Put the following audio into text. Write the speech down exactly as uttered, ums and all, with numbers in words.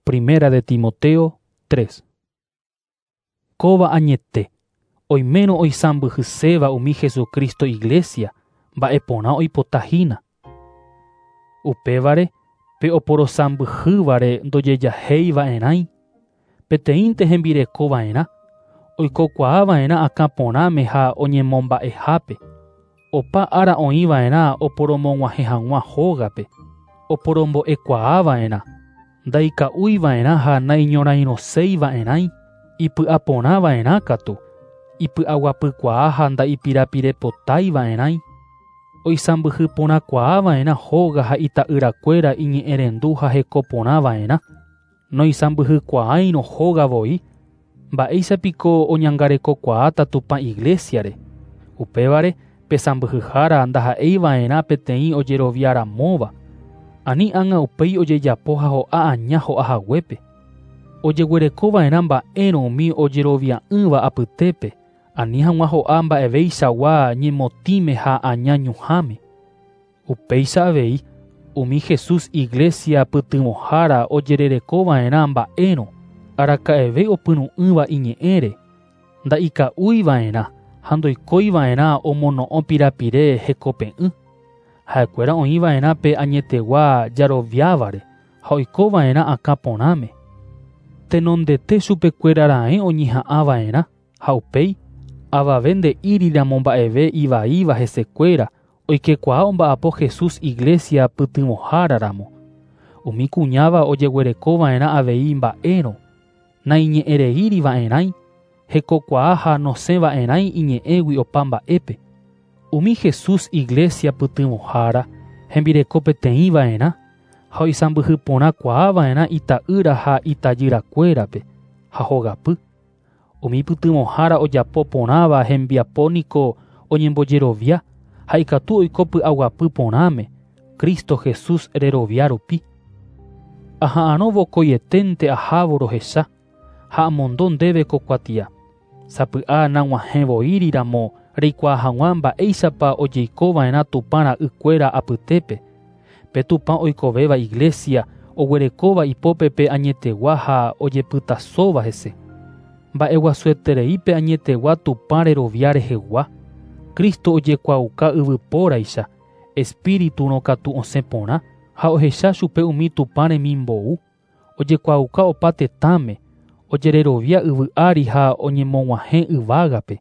Primera de Timoteo tres. Kóva añete, oimérõ oisãmbyhyséva umi Jesucristo iglesia, mba'eporã oipotahína. Upévare, pe oporosãmbyhývare ndojejahéiva'erãi, peteĩnte hembirekova'erã, oikokuaava'erã akãporãme ha oñemomba'ehápe, opa ára oĩva'erã oporomog̃uahẽ hag̃ua hógape, oporombo'ekuaava'erã, ndaika'úiva'erã ha naiñorairõseiva'erãi, ipy'aporãva'erã katu, ipy'aguapykuaa ha ndaipirapirepotaiva'erãi, oisãmbyhyporãkuaava'erã hóga ha ita'yrakuéra iñe'ẽrendu ha hekoporãva'erã, noisãmbyhykuaáirõ hóga voi, mba'éichapiko oñangarekokuaáta Tupã iglesiare. Upévare pe sãmbyhyhára ndaha'eiva'erã peteĩ ojeroviaramóva, ani ág̃a upéi ojejapo ha ho'a aña ho'ahaguépe. Ojeguerekova'erã mba'érõ umi ojerovia'ỹva apytépe, ani hag̃ua ho'a mba'eveichagua ñemotĩme ha aña ñuhãme. Upéicha avei, umi Jesús iglesia pytyvõhára ojererekova'erã mba'érõ, araka'eve opyrũ'ỹva iñe'ẽre, ndaika'úiva'erã ha ndoikóiva'erã omono'õ pirapire hekope'ỹ. Ha'ekuéra oĩva'erã pe añetegua jaroviávare ha oikova'erã akãporãme. Tenondete chupekuéra raẽ oñeha'ãva'erã ha upéi avave nde'íriramo mba'eve ivaíva hesekuéra oikekuaa omba'apo Jesús iglesia pytyvõháraramo. Umi kuñáva ojeguerekova'erã avei mba'érõ, naiñe'ẽreíriva'erãi, hekokuaa ha nosẽva'erãi iñe'ẽgui opa mba'épe. Umi Jesús iglesia pytyvõhára hembireko peteĩva'erã ha oisãmbyhyporãkuaava'erã ita'ýra ha itajyrakuérape ha hogapy. Umi pytyvõhára ojapo porãva hembiapo niko oñembojerovia ha ikatu oiko py'aguapy porãme Cristo Jesús rerovia rupi. Aha'arõ vokoieténte ahávo rohecha ha amondo ndéve ko kuatia. Sapy'a nag̃uahẽvoíriramo reikuaa hag̃ua mba'éichapa ojeikova'erã Tupã ra'ykuéra apytépe. Pe Tupã oikovéva iglesia oguerekóva ipópe pe añetegua ha ojepytasóva hese. Mba'eguasueterei pe añetegua Tupã rerovia rehegua. Cristo ojekuaauka yvypóraicha, espíriturõ katu osẽ porã ha ohecha chupe umi Tupã remimbou, ojekuaauka opa tetãme, ojererovia yvy ári ha oñemog̃uahẽ yvágape.